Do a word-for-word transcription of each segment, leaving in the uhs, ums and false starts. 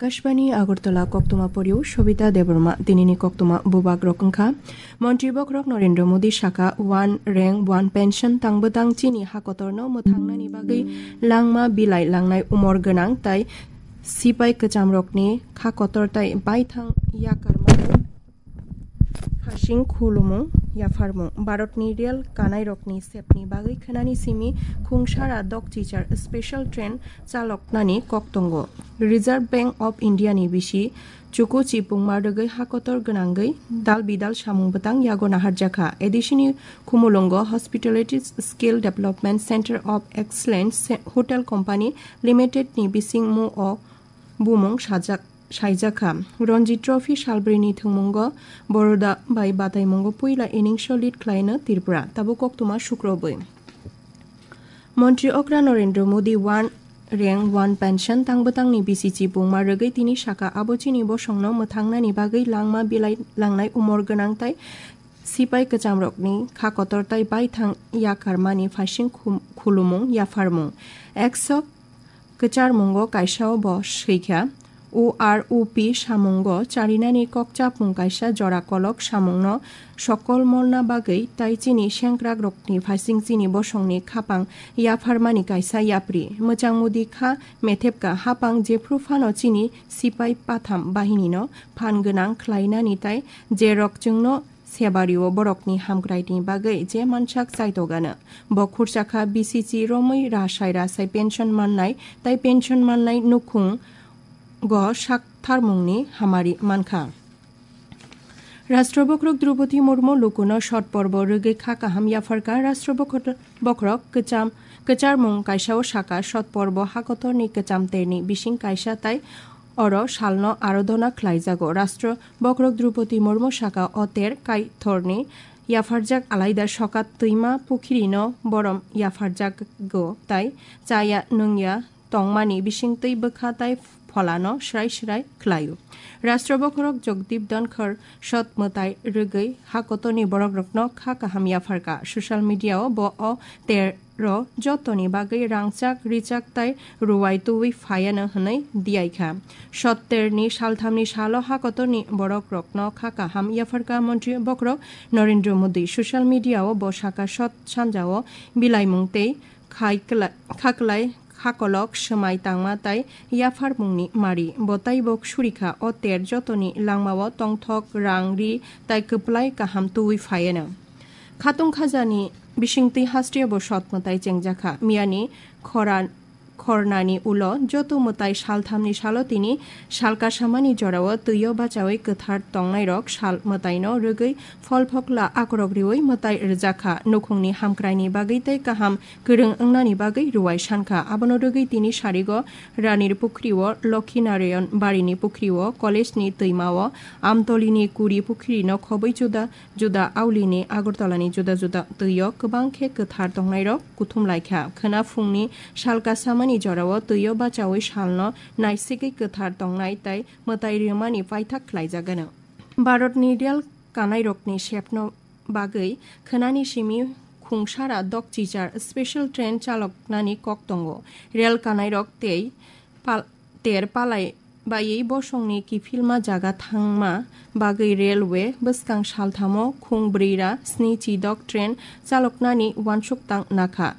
Akashbani Agartala koktwma porio Sobita Debbarma. Tinini koktwma bubak rok wngkha: Montri bokhorok Narendra Modi saka one rank one pension tangbwtang chini hakotorno mwthangnani bagwi langma bilai langnai umor gwnang tai sipai kwchamrokni kha kotor tai baithang yakarmani phasing khulumung yapharmung. Bharatni rel kanairokni sepni bagwi khwnani simi khungsara dokchichar special train chaloknani kok tongo. Reserve Bank of India ni bisi chuku chipungma rwgwi hakotor gwnangwi dal bidal samung bwtang yago naharjakha. A D C ni khumulungo Hospitality Skill Development Center of Excellence Hotel Company Limited ni bisingmo o bumung sajak, saijakha. Ranji Trophy salbrini thwngmungo Baroda bai bataimungo puila innings o lead khlaino Tripura. Tabuk koktwma sukrobwi. Montri okra Narendra Modi one rank one pension tangbwtangni bisi chipungma rwgwi tini saka abo chini bosongno mwthangnani bagwi langma bilai langnai umor gwnang tai sipai kwchamrokni kha kotor tai baithang yakarmani phasing khum-, khulumung yapharmung. Ekso kwcharmungo kaisao bo swikha. O R O P samungo charinani kokchapmung kaisa jora kolok samungno sokol molna bagwi tai chini sengkrakrokni phasing chini bosongni khapang yapharmani kaisa yapri. Mwchang mudi kha methepka hapang jephru phano chini sipai patham bahinino phan gwnang khlainani tai jerok chwngno sebario borokni hamkraini bagwi je mansak chaitogano. Bo khurchakha B C C romwi rasai rasai pension mannai tai pension mannai nukhung go saktharmungni hamari mankha. Rashtra bokhorok Droupadi Murmu lukuno shot porbo rwgwi kha kaham yapharkha. Rashtra bokhor-, bokhorok kwcham, kwcharmung kaisao saka shot porbo hakotorni kwcham terni bising kaisa tai oro salno arodona khlaijago. Rashtra bokhorok Droupadi Murmu saka o ter kaithorni yapharjak alaida sokat twima pukhirino borom yapharjago tai chaya nungya tongmani bisingtwi bwkha tai pholano srai srai khlaio. Rashtra bokhorok Jagdeep Dhankhar shot mwtai rwgwi hakotorni borokrokno kha kaham yapharkha. Social media-o bo o ter ro jotoni bagwi rangchak, richak tai ruwai tuwi phaiano hwnwi diyaikha. Sotterni salthamni salo hakotorni borokrokno kha kaham yapharkha Montri bokhorok Narendra Modi. Social media-o bo saka sot sanjao bilaimung tei khai kla-, khaklai khakolok swmai tangma tai yapharmungni mari. Bo taibo surikha o ter jotoni langmao tongthok, rang, ri tai kwplai kaham tuwi phaiano. Khatung khajani bisingtwi hasteo bo sot mwtai chengjakha. Miyani khora-, khornani ulo joto mwtai salthamni salo tini salkasamani jorao twio bachaui kwthar tongnairok sal mwtaino rwgwi pholphokla akorok riui mwtai rwjakha. Nukhungni hamkraini bagwi tei kaham kwrwng wngnani bagwi ruwai sankha. Abono rwgwi tini sarigo Ranir Pukhrio, Lokhi Narayan Barini Pukhrio, college ni twimao, Amtolini Kuri Pukhirino khobwi juda juda aulini Agartalani juda juda twio kwbang khe kwthar tongnairok kuthum laikha. Khwna phungni salkasamani jorao twio bachaui salno naisigwi kwthar tongnai tai mwtai rwmani paithak khlaijagano. Bharatni rel kanairokni sepno bagwi khwnani simi khungsara dokchichar special train chaloknani kok tongo. Rel kanairok tei pal-, ter palai baiwi bosongni kiphilma jaga thangma bagwi railway bwskang salthamo khung brwi ra sni chidok train chaloknani uansuk tang nakha.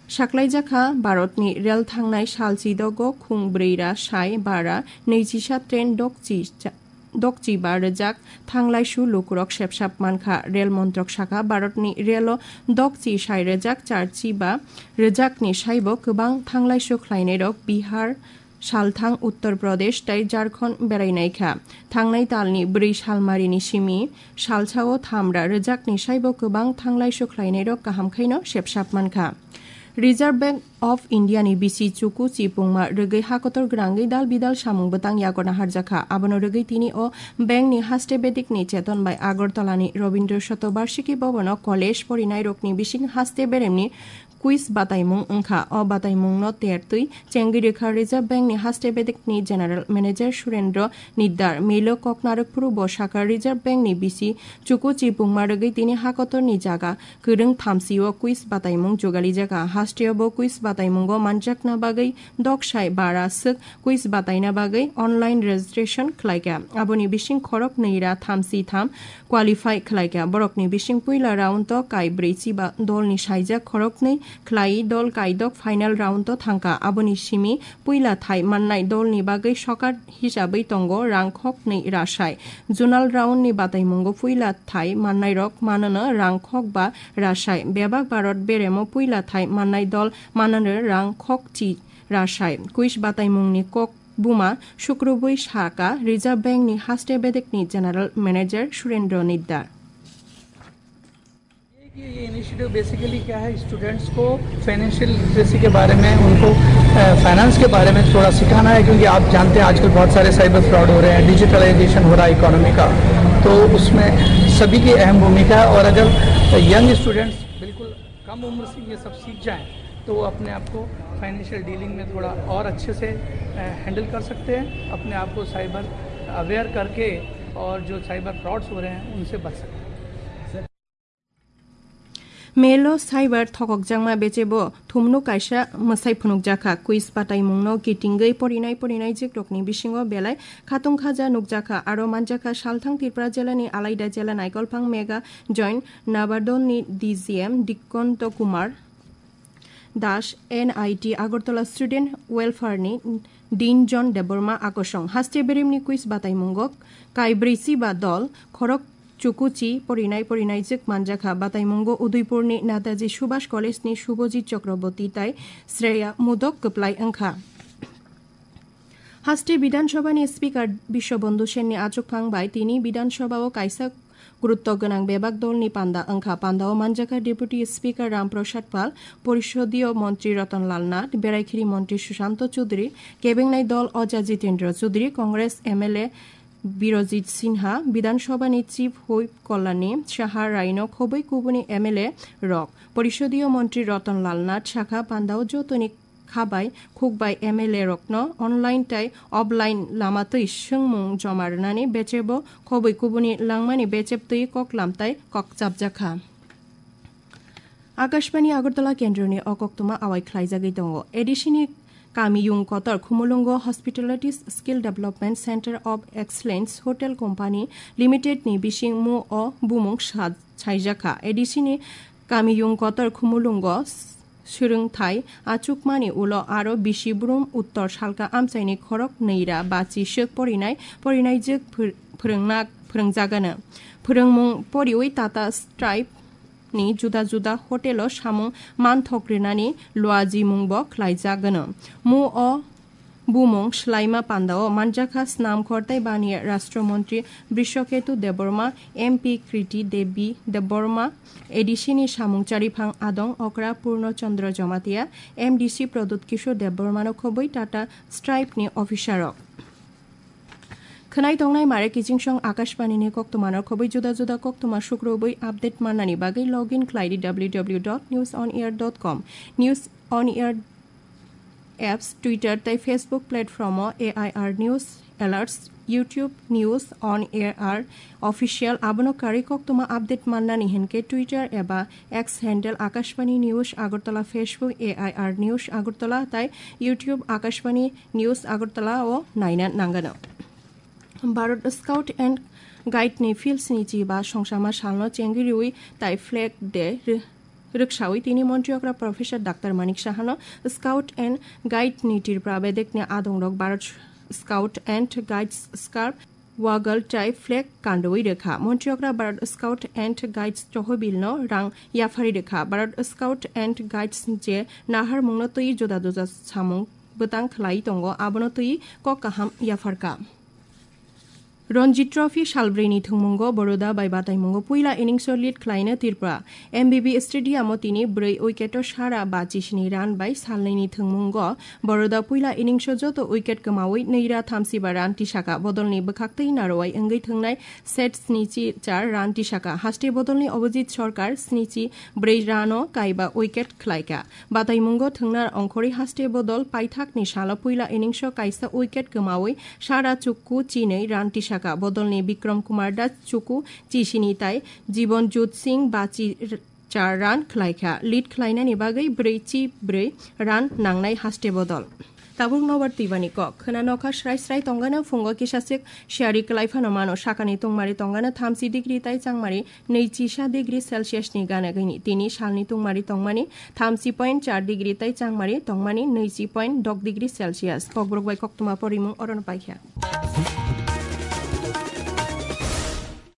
Saklaijakha Bharatni rel thangnai sal chidogo khung brwi ra sai bara nwichisa train dokchi cha-, dokchi ba rwjak thanglaisu lukurok sepsap mankha. Rel montrok sakha, Bharatni relo dokchi sai rwjak charchi ba rwjakni saibo kwbang thanglaisu khlainairok Bihar, salthang Uttar Pradesh tei Jharkhand berainaikha. Thangnai talni brwi salmarini simi salsao thamra rwjakni saibo kwbang thanglaisu khlainairok kaham khaino sepsap mankha. Reserve Bank of India ni bisi chuku chipungma rwgwi hakotor gwnangwi dal bidal samung bwtang yago naharjakha. Abono rwgwi tini o bank ni haste bedikni cheton bai Agartala ni Rabindra Shatobarshiki Bhavan o college porinairokni bising haste beremni quiz bataimung wngkha. O bataimungno tertwi chengwi rwkha Reserve Bank ni haste bedekni General Manager Surendra Nidar. Milo kok narwkphuru bo sakha Reserve Bank ni bisi chukuchi pungma rwgwi tini hakotorni jaga kwrwng thamsio quiz bataimung jugalijak. Hasteo bo quiz bataimungo manjakna bagwi doksai bara swk quiz bataina bagwi online registration khlaikha. Aboni bising khorok nwi ra thamsi tham qualify khlaikha. Borokni bising puila round o kai brwi chiba dolni saijak khoroknwi khlai dol kaidok final round o thangkha. Aboni simi puila thai mannai dolni bagwi sokar hisabwi tongo rang khoknwi rasai. Zonal round ni bataimungo puila thai mannairok manono rang khok ba rasai. Bebak Bharat beremo puila thai mannai dol manono rang khokchi rasai. Quiz bataimungni kok buma sukrubwi saka Reserve Bank ni haste bedekni General Manager Surendra Nidar. ये initiative basically क्या है, स्टूडेंट्स को financial literacy के बारे में, उनको फाइनेंस के बारे में थोड़ा सिखाना है, क्योंकि आप जानते हैं आजकल बहुत सारे साइबर फ्रॉड हो रहे हैं, डिजिटलाइजेशन हो रहा है इकोनॉमी का। तो उसमें सभी की अहम भूमिका है। और अगर यंग स्टूडेंट्स बिल्कुल कम उम्र से ये सब सीख जाएं तो वो अपने आप को फाइनेंशियल डीलिंग में थोड़ा और अच्छे से हैंडल कर सकते हैं, अपने आप को साइबर अवेयर करके और जो साइबर फ्रॉड्स हो रहे हैं उनसे बच सकते हैं। Melo cyber thokokjakma bechebo thumno kaisa mwsai phunukjakha. Quiz bataimungno kitingwi porinai porinai jikrokni bisingo belai khatung khaja nukjakha. Aro manjakha salthang Tripura jelani alaida jela naikolphang mega joint Nabardolni D G M Dikonto Kumar Das, N I T Agartala Student Welfare ni Dinjon Debbarma akosong. Haste berimni quiz bataimungo kaibrwi chiba dol khorok chukuchi porinai porinai jwk manjakha. Bataimungo Udaipurni Netaji Subhash College ni Subhajit Chakraborty tai Shreya Mudok kwplai wngkha. Haste Bidhan Sabha ni Speaker Biswabandhu Sen ni achukphang bai tini Bidhan Sabha o kaisa gurutto gwnang bebak dolni panda wngkha. Pandao manjakha Deputy Speaker Ram Prasad Pal, Porishodio Montri Ratan Lal Nath, Beraikhiri Montri Sushanto Chudri, kebengnai dol Oja Jitendra Chudri, Congress M L A Birojit Sinha, Bidhan Sabha ni Chief Whip Kalyani Saha Raino khobwi kubuni M L A rok, Porishodio Montri Ratan Lal Nath sakha pandao jotoni khabai khukbai M L A rokno online tai offline lama twi swngmung joma rwnani bechebo khobwi kubuni langmani bechep twi koklam tai kokchapjakha. Akashbani Agartala kendroni o koktwma awai khlaijagwi tongo. A D C ni kamiyung kotor Khumulwngo Hospitality Skill Development Center of Excellence Hotel Company Limited ni bising mu o bumung sa-, saijakha. A D C ni kamiyung kotor Khumulwngo swrwngthai achukmani ulo aro bisi brum uttor salka amchaini khorok nwi ra bachi swk porinai, porinai jwk phwr-, phwrwngna, phwrwngjagano. Phwrwngmung poriwi Tata Stripe ni juda juda hotelo samung manthok rinani luajimungbo khlaijagano. Mu o bumung swlaima pandao manjakha Snam Khortai Baniya Rashtra Montri Brishaketu Debbarma, M P Kriti Devi Debbarma, A D C ni samung chariphang Adong Okra Purno Chandra Jamatia, M D C Pradyut Kishore Debbarmano khobwi Tata Stripe ni officer rok. Khwnai tongnai mare kichingsong Akashbani ni koktwmano khobwi juda juda koktwma sukrubwi update mannani bagwi login khlai di W W W dot news on air dot com. News on Air apps, Twitter tei Facebook platform o A I R News Alerts, YouTube News on Air R Official, abono karwi koktwma update mannani hinkhe Twitter eba X handle Akashbani News Agartala, Facebook A I R News Agartala tei YouTube Akashbani News Agartala o naina nangano. Bharat Scout and Guide ni Fields ni chiba songsama salno chengwi rwi tai Flag Day rwksawi tini Montri okra Professor Doctor Manik Sahano Scout and Guide ni Tripura bedekni adongrok Bharat Scout and Guides scarf, wagal tai flag kanrwi rwkha. Montri okra Bharat Scout and Guides tohobilno rang yapharwi rwkha. Bharat Scout and Guides je naharmungno twi juda juda samung bwtang khlai tongo, abono twi kok kaham yapharkha. Ranji Trophy salbrwini thwngmungo Baroda bai bataimungo puila innings-o lead khlaina Tripura. M B B Stadium-o tini brwi wicket-o sara bachi sini run bai salnwini thwngmungo Baroda puila innings-o joto wicket kwmawi nwi ra thamsiba run tisaka bodolni bwkhaktwi narwai wngwi thwngnai set snichi char run tisaka. Haste bodolni Abhijit Sarkar snichi brwi run-o kaiba wicket khlaikha. Bataimungo thwngna ongkhorwi haste bodol paithakni salo puila innings-o kaisa wicket kwmawi sara chukku chinwi run tisaka. Bodolni Bikram Kumar Das chukku chisini tai Jibon Jut Singh bachi r-, char run khlaikha. Lead khlainani bagwi brwi chi brwi run nangnai haste bodol. Tabuk nobar twibani kok. Khwna nokha srai srai tongana phungo kisa sik siyari kwlai phano mano. Sakani tungmari tongana thamsi degree tai changmari nwi chisa degree Celsius ni gana gini. Tini salni tungmari tongmani thamsi point char degree tai changmari tongmani nwi chi point dok degree Celsius. Kokborok bai koktwma porimung orono paikha.